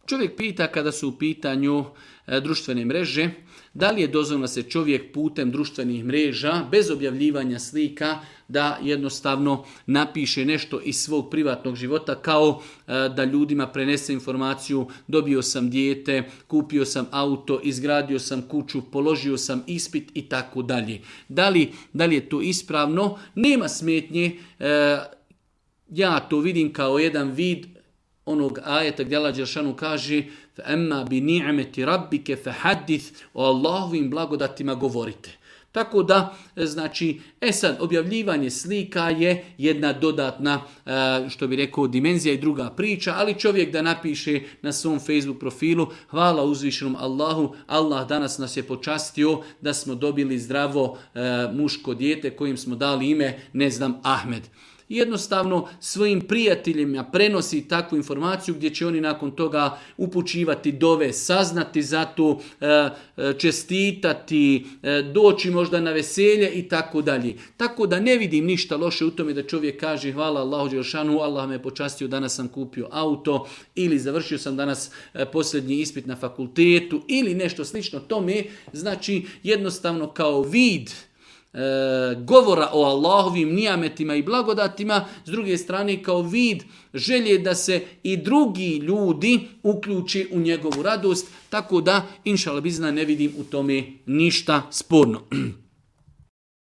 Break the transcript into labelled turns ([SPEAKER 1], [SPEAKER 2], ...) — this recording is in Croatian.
[SPEAKER 1] Čovjek pita kada su u pitanju društvene mreže, da li je dozvoljeno da se čovjek putem društvenih mreža, bez objavljivanja slika, da jednostavno napiše nešto iz svog privatnog života, kao da ljudima prenese informaciju: dobio sam dijete, kupio sam auto, izgradio sam kuću, položio sam ispit i tako dalje. Da li je to ispravno? Nema smetnje. Ja to vidim kao jedan vid onog ajeta gdje Allah dželešanu kaže: "Emma bi ni'meti rabbike fahaddith", o Allahovim blagodatima govorite. Tako da, znači, sad, objavljivanje slika je jedna dodatna, što bi rekao, dimenzija i druga priča, ali čovjek da napiše na svom Facebook profilu: hvala uzvišenom Allahu, Allah danas nas je počastio da smo dobili zdravo muško dijete kojim smo dali ime, ne znam, Ahmed. Jednostavno svojim prijateljima prenosi takvu informaciju gdje će oni nakon toga upućivati dove, saznati za to, čestitati, doći možda na veselje i tako dalje. Tako da ne vidim ništa loše u tome da čovjek kaže: hvala Allahu dželešanu, Allah me počastio, danas sam kupio auto, ili završio sam danas posljednji ispit na fakultetu, ili nešto slično tome. Znači jednostavno kao vid govora o Allahovim nijametima i blagodatima, s druge strane kao vid želje da se i drugi ljudi uključi u njegovu radost, tako da inšallah bizna ne vidim u tome ništa sporno.